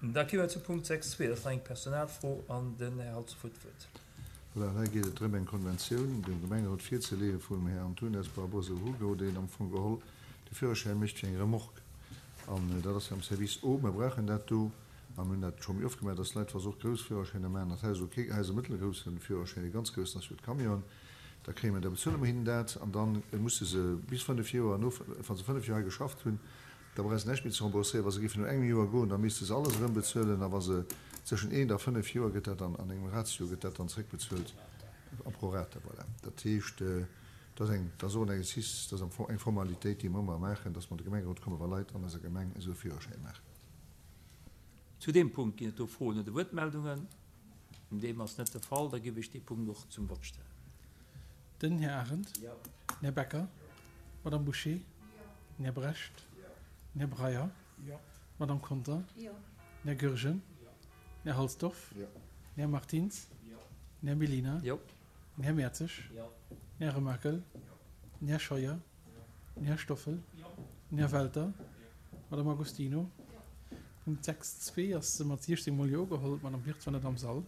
Da gi mer zu Punkt 6.2, dat ass nach eng Personalfro an den Här Halsdorf huet d'Wuert. Voilà, hei geet et drëm, eng Konventioun dem Gemengerot virzeleeë vum Här Antunes Barbosa Hugo, deen am Fong geholl de Führerschäin mécht fir eng Remorque. An dat ass jo am Service O. Mer brauchen dat do a mir hunn dat scho méi oft gemaach, dass Leit, wa se och grouss Führerschäiner maachen, dat hei ass ok, hei ass e mëttelgrousse Führerschäin, e ganz groussen ass jo d'Camion, da kréie mer, da bezuele mer hinnen dat an da musse se bis fënnef Joer, no, wa se fënnef Joer hei geschafft hunn, Da brauch se näischt méi ze rembourséieren. Wa se géifen no engem Joer goen, da misste se alles erëm bezuelen. A wa se zwëschen eent a fënnef Joer gëtt dat dann an engem Ratio gëtt dat dann zréckbezuelt a pro rata. Voilà. Dat heescht, dat ass eng, dat ass och en Exercice, dat ass am Fong eng Formalitéit, déi mer ëmmer maachen, dass mer an de Gemengerot kommen, wa Leit an eiser Gemeng esou e Führerschäin maachen. Zu deem Punkt ginn et do Froen oder Wuertmeldungen? Deem ass net de Fall. Da géif ech dee Punkt och zum Vott stellen. Den Här Arendt. Den Här Becker. D'Madame Bouché. Den Här Brecht. Den Här Breyer. D'Madame Conter. Den Här Goergen. Den Här Halsdorf. Den Här Martins. Den Här Mellina. Den Här Mertzig. Den Här Remakel. Den Här Scheuer. Den Här Stoffel. Den Här Welter. D'Madame Agostino. Punkt 6.2 ass mat 16 mol Jo geholl. D'Madame Wirtz war net am Sall.